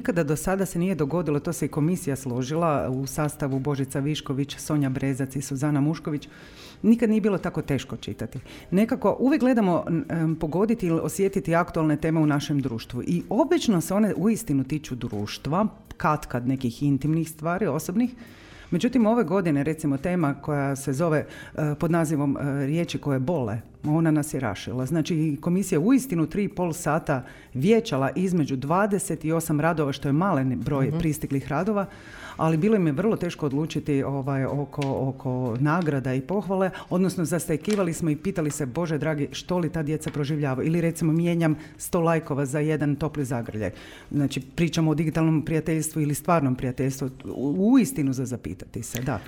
nikada do sada se nije dogodilo, to se i komisija složila u sastavu Božica Višković, Sonja Brezac i Suzana Mušković, nikad nije bilo tako teško čitati. Nekako uvijek gledamo pogoditi ili osjetiti aktualne teme u našem društvu i obično se one uistinu tiču društva, katkad nekih intimnih stvari, osobnih. Međutim, ove godine, recimo, tema koja se zove pod nazivom riječi koje bole, ona nas je rašila. Znači, komisija uistinu 3,5 sata vijećala između 28 radova, što je malen broj pristiglih radova, ali bilo im je vrlo teško odlučiti oko nagrada i pohvale, odnosno zastajkivali smo i pitali se, Bože dragi, što li ta djeca proživljavaju? Ili recimo mijenjam 100 lajkova za jedan topli zagrljaj. Znači, pričamo o digitalnom prijateljstvu ili stvarnom prijateljstvu. Uistinu za zapitati se, da.